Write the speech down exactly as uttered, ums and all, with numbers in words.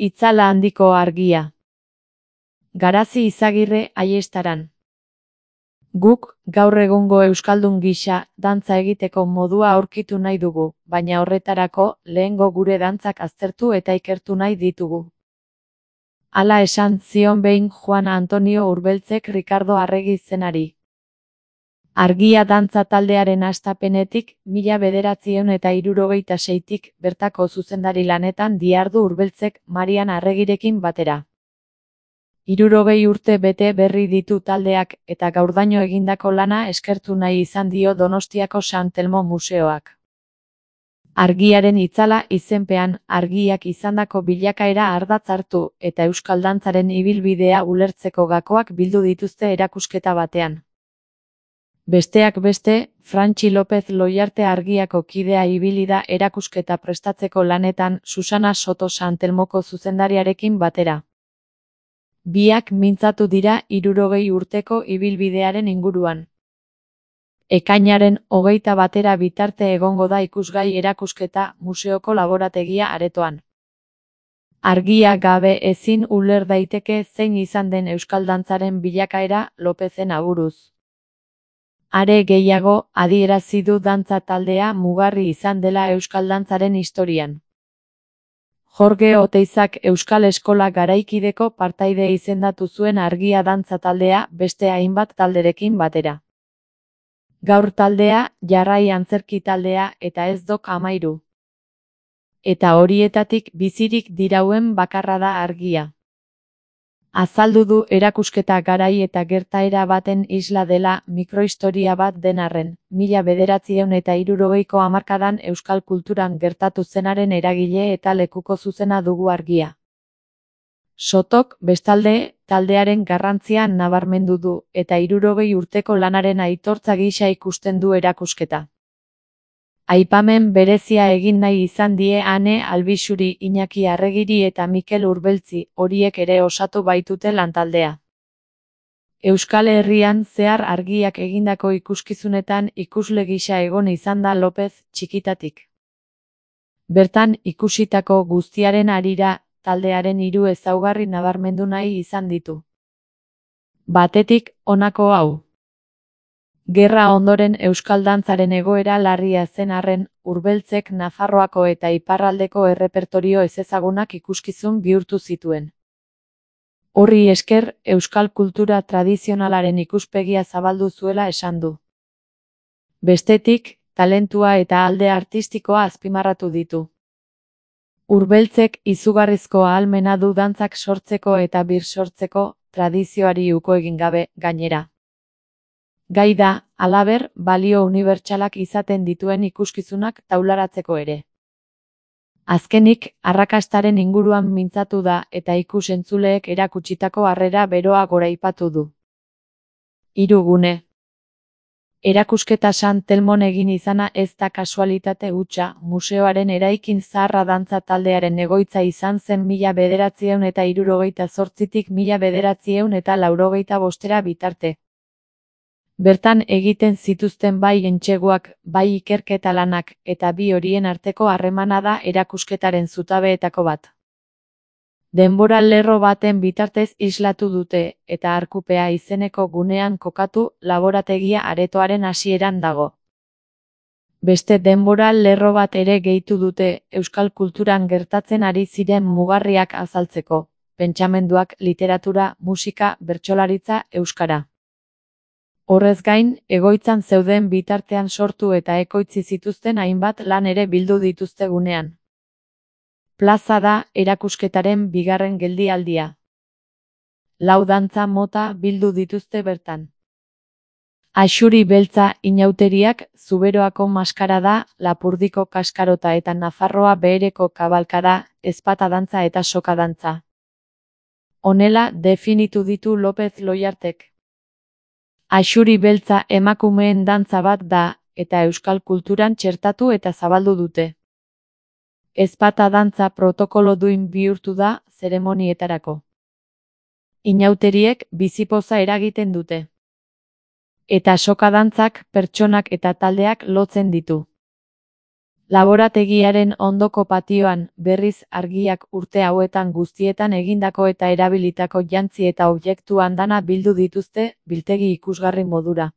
Itzala handiko argia. Garazi Izagirre Aiestaran. Guk, gaur egungo euskaldun gisa, dantza egiteko modua aurkitu nahi dugu, baina horretarako, lehengo gure dantzak aztertu eta ikertu nahi ditugu. Hala esan zion behin Juan Antonio Urbeltzek Rikardo Arregi izenari. Argia dantza taldearen hastapenetik, mila bederatziehun eta hirurogeita seitik, bertako zuzendari lanetan dihardu Urbeltzek Marian Arregirekin batera. Hirurogei urte bete berri ditu taldeak, eta gaurdaino egindako lana eskertu nahi izan dio Donostiako San Telmo Museoak. Argiaren itzala izenpean, argiak izandako bilakaera ardatz hartu, eta euskal dantzaren ibilbidea ulertzeko gakoak bildu dituzte erakusketa batean. Besteak beste, Frantxi López Loiarte Argiako kidea ibili da erakusketa prestatzeko lanetan Susana Soto San Telmoko zuzendariarekin batera. Biak mintzatu dira hirurogei urteko ibilbidearen inguruan. Ekainaren hogeita batera bitarte egongo da ikusgai erakusketa museoko laborategia aretoan. Argia gabe ezin uler daiteke zein izan den euskal dantzaren bilakaera Lopezen aburuz. Are gehiago, adierazi du dantza taldea mugarri izan dela euskal dantzaren historian. Jorge Oteizak Euskal Eskola garaikideko partaide izendatu zuen argia dantza taldea beste hainbat talderekin batera. Gaur taldea, jarrai antzerki taldea eta ez dok amairu. Eta horietatik bizirik dirauen bakarra da argia. Azaldu du erakusketa garai eta gertaera baten isla dela mikrohistoria bat den arren, mila bederatziehun eta hirurogeiko hamarkadan euskal kulturan gertatu zenaren eragile eta lekuko zuzena dugu argia. Sotok, bestalde, taldearen garrantzia nabarmendu du, eta hirurogei urteko lanaren aitortza gisa ikusten du erakusketa. Aipamen berezia egin nahi izan die Ane Albixuri, Iñaki Arregiri eta Mikel Urbeltzi, horiek ere osatu baitute lantaldea. Euskal Herrian zehar argiak egindako ikuskizunetan ikusle gisa egon izan da López txikitatik. Bertan ikusitako guztiaren harira, taldearen hiru ezaugarri nabarmendu nahi izan ditu. Batetik, honako hau. Gerra ondoren euskal dantzaren egoera larria zen arren, Urbeltzek Nafarroako eta iparraldeko errepertorio ezezagunak ikuskizun bihurtu zituen. Horri esker, euskal kultura tradizionalaren ikuspegia zabaldu zuela esan du. Bestetik, talentua eta alde artistikoa azpimarratu ditu. Urbeltzek izugarrizko ahalmena du dantzak sortzeko eta birsortzeko, tradizioari uko egin gabe, gainera. Gai da, halaber, balio unibertsalak izaten dituen ikuskizunak taularatzeko ere. Azkenik, arrakastaren inguruan mintzatu da eta ikus-entzuleek erakutsitako harrera beroa goraipatu du. Hiru gune. Erakusketa San Telmon egin izana ez da kasualitate hutsa, museoaren eraikin zaharra dantza taldearen egoitza izan zen mila bederatziehun eta hirurogeita zortzitik mila bederatziehun eta laurogeita bostera bitarte. Bertan egiten zituzten bai entseguak, bai ikerketa lanak, eta bi horien arteko harremana da erakusketaren zutabeetako bat. Denbora lerro baten bitartez islatu dute, eta Arkupea izeneko gunean kokatu, laborategia aretoaren hasieran dago. Beste denbora lerro bat ere gehitu dute, euskal kulturan gertatzen ari ziren mugarriak azaltzeko, pentsamenduak, literatura, musika, bertsolaritza, euskara. Horrez gain, egoitzan zeuden bitartean sortu eta ekoitzi zituzten hainbat lan ere bildu dituzte gunean. Plaza da erakusketaren bigarren geldialdia. Lau dantza mota bildu dituzte bertan. Axuri beltza inauteriak, Zuberoako maskarada, Lapurdiko kaskarota eta Nafarroa behereko kabalkada, ezpata dantza eta soka dantza. Honela definitu ditu López Loiartek. Axuri beltza emakumeen dantza bat da, eta euskal kulturan txertatu eta zabaldu dute. Ezpata dantza protokolo duin bihurtu da, zeremonietarako. Inauteriek bizipoza eragiten dute. Eta soka dantzak pertsonak eta taldeak lotzen ditu. Laborategiaren ondoko patioan, berriz argiak urte hauetan guztietan egindako eta erabilitako jantzi eta objektu andana bildu dituzte, biltegi ikusgarri modura.